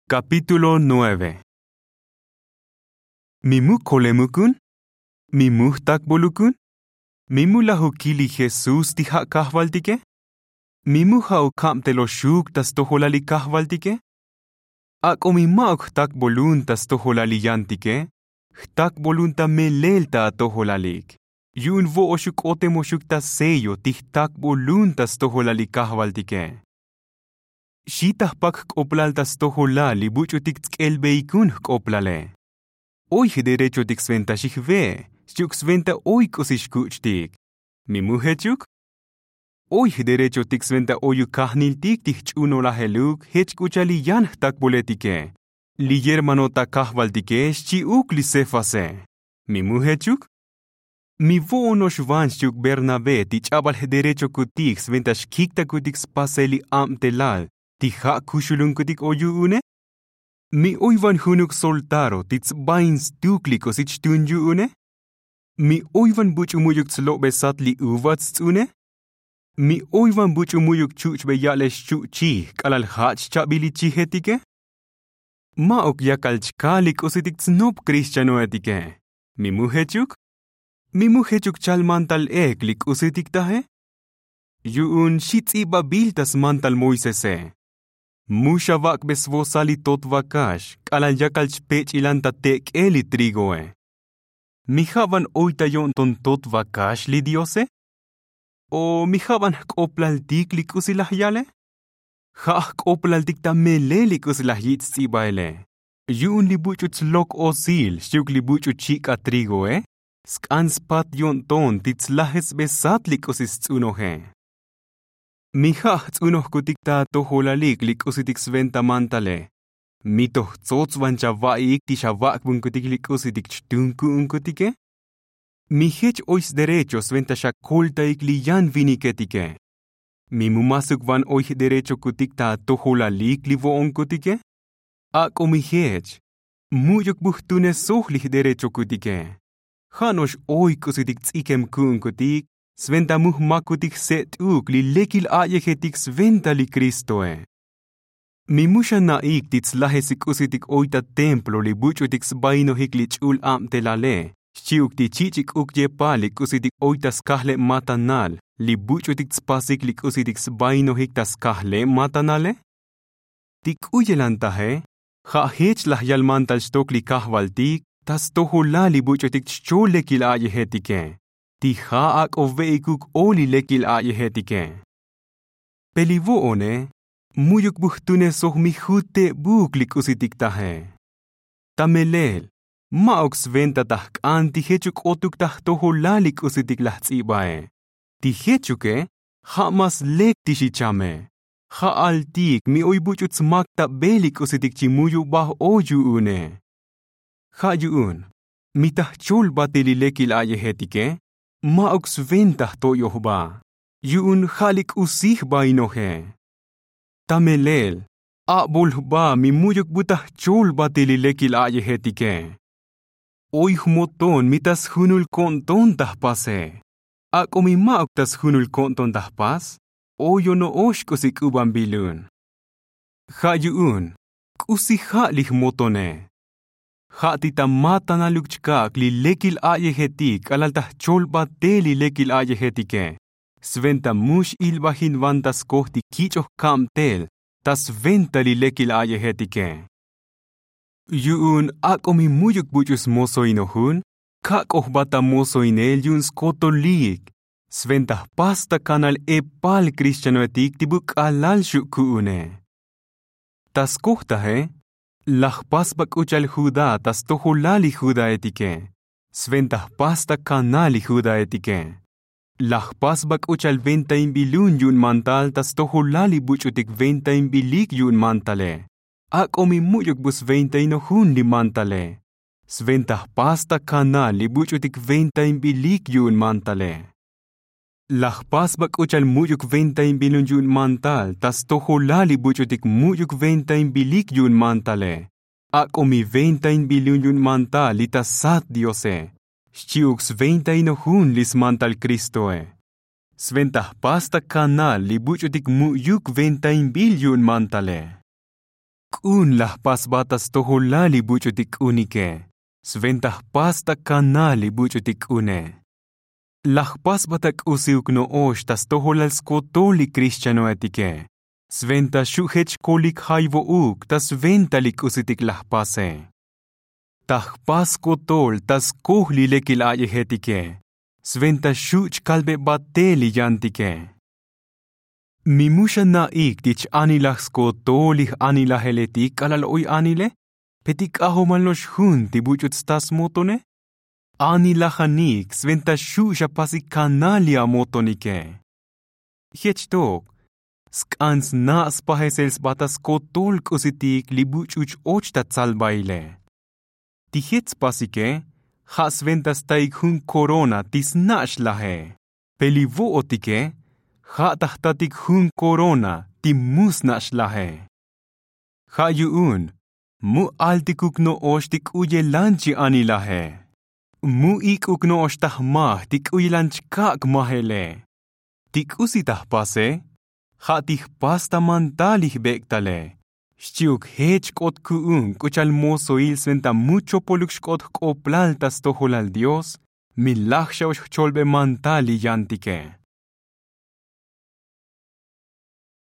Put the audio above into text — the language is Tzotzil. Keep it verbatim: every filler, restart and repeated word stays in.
Kapítulo nueve. Mi mu kolemukun? Mi mu jtakbolukun? Mi mu laj ukil li jesús ti ja' kajvaltike? Mi mu ja' ukabteloxuk ta stojolal li kajvaltike? Ak'o mi ma'uk jtakbolun ta stojolal li yantike, jtakbolun ta melel ta atojolalik, yu'un vo'oxuk k'otemoxuk ta sello ti jtakbolun ta stojolal li kajvaltike. Xi ta jpak jk'oplal ta stojolal li buch'utik tsk'elbeikun jk'oplale. Oy jderechotik sventa xi jve', xchi'uk sventa oy k'usi xkuch'tik. Mi mu jechuk? Oy jderechotik sventa oyuk kajniltik ti jch'unolajeluk jech k'u cha'al li yan jtakboletike, li yermano ta kajvaltike, xchi'uk li cefase. Mi mu jechuk? Mi vo'ono'ox van xchi'uk bernabé ti ch'abal jderechokutik sventa xkiktakutik spasel li abtelal ti ja' kuxulunkutik oy yu'une? Mi oy van junuk soltaro ti tsbain stuk li k'usi chtun yu'une? Mi oy van buch'u mu'yuk tslobesat li uva tsts'une? Mi oy van buch'u mu'yuk chuch'be ya'lel xchuchij k'alal ja' chchabil li chijetike? Ma'uk yakal chkal li k'usitik tsnop krixchanoetike. Mi mu jechuk? Mi mu jechuk chal mantal ek li k'usitik taje? Yu'un xi ts'ibabil ta smantal moisese: Mu xavak'be svosal li tot vakax k'alal yakal chpech'ilan ta tek'el li trigoe. Mi ja' van oy ta yo'nton tot vakax li diose? O mi ja' van jk'oplaltik li k'usi laj yale? Ja' jk'oplaltik ta melel li k'usi laj yich' ts'ibaele. Yu'un li buch'u tslok osil xchi'uk li buch'u chik'a trigoe, sk'an spat yo'nton ti tslajetsbesat li k'usi sts'unoje. Mi ja' jts'unojkutik ta atojolalik li k'usitik sventa mantale, mi toj tsots van chava'iik ti xavak'bunkutik li k'usitik chtun ku'unkutike? Mi jech oy sderecho sventa xakoltaik li yan viniketike. Mi mu masuk van oy jderechokutik ta atojolalik li vo'onkutike? Ak'o mi jech, mu'yuk bu jtunesoj li jderechokutike. Ja' no'ox oy k'usitik ts'ikem ku'unkutik sventa mu jmakutik jset'uk li lekil a'yejetik sventa li kristoe. Mi mu xana'ik ti tslajes li k'usitik oy ta templo li buch'utik sbainojik li ch'ul abtelale, xchi'uk ti chich'ik uk yepal li k'usitik oy ta skajleb matanal li buch'utik tspasik li k'usitik sbainojik ta skajleb matanale? Ti k'u yelantaje, ja' jech laj yal mantal xtok li kajvaltik ta stojolal li buch'utik chchol lekil a'yejetike, ti ja' ak'o ve'ikuk o li lekil a'yejetike. Pe li vo'one, mu'yuk bu jtunesoj mi jutebuk li k'usitik taje. Ta melel, ma'uk sventa ta jk'an ti jechuk k'otuk ta jtojolal li k'usitik laj ts'ibae. Ti jechuke, ja' mas lek ti xichame. Ja'altik mi oy buch'u tsmaktabel li k'usitik chi muyubaj o yu'une. Ja' yu'un, mi ta jcholbatil li lekil a'yejetike, ma'uk sventa jto'yojba, yu'un ja' li k'usi jbainoje. Ta melel, abol jba mi mu'yuk bu ta jcholbatil li lekil a'yejetike. Oy jmoton mi ta sjunul ko'nton ta jpase. Ak'o mi ma'uk ta sjunul ko'nton ta jpas, oy ono'ox k'usi k'u ban bilun. Ja' yu'un, k'usi ja' li jmotone. Ja' ti ta matanaluk chkak' li lekil a'yejetik k'alal ta jcholbatel li lekil a'yejetike, sventa mu x'ilbajin van ta skoj ti kich'oj kabtel ta sventa li lekil a'yejetike. Yu'un ak'o mi mu'yuk buch'u smozoinojun, kak'o jba ta mozoinel yu'un skotolik, sventa jpas ta kanal epal krixchanoetik ti bu k'alal xu' ku'une. Ta skoj taje, laj jpas ba k'u cha'al judá ta stojolal li judaetike, sventa jpas ta kanal li judaetike. Laj jpas ba k'u cha'al ventainbilun yu'un mantal ta stojolal li buch'utik ventainbilik yu'un mantale. Ak'o mi mu'yuk bu sventainojun li mantale, sventa jpas ta kanal li buch'utik ventainbilik yu'un mantale. Laj jpas ba k'u cha'al mu'yuk ventainbilun yu'un mantal ta stojolal li buch'utik mu'yuk ventainbilik yu'un mantale. Ak'o mi ventainbilun yu'un mantal li ta sat diose, xchi'uk sventainojun li smantal kristoe. Sventa jpas ta kanal li buch'utik mu'yuk ventainbil yu'un mantale. Jk'un la jpasbat ta stojolal li buch'utik k'unike. Sventa jpas ta kanal li buch'utik k'une. La jpasbat ta k'usiuk no'ox ta stojolal skotol li krixchanoetike. Sventa xu' jech kolik jayvo'uk ta sventa li k'usitik la jpase. Ta jpas skotol ta skoj li lekil a'yejetike. Sventa xu' chkalbebatel li yantike. Mi mu xana'ik ti ch-anilaj skotol li j'anilajeletik k'alal oy anile pe ti k'ajomal no'ox jun ti buch'u sta smotone. Anilajanik sventa xu' xapasik kanal li amotonike. Jech tok sk'an sna' spajesel sba ta skotol k'usitik li buch'u ch-och ta tsalbaile. Ti jech spasike ja' sventa staik jun korona ti sna' xlaje. Pe li vo'otike ja' ta jtatik jun korona ti mu sna' xlaje. Ja' yu'un mu altikuk no'ox ti k'u yelan chi anilaje. Mu ik'uk no'ox ta jmaj ti k'u yelan chkak' majele. Ti k'usi ta jpase ja' ti jpas ta mantal li jbek'tale. Xchi'uk jech xk'ot ku'un k'u cha'al mosoil sventa mu chopoluk xk'ot jk'oplal ta stojolal dios. Mi laj xa'ox jcholbe mantal li yantike.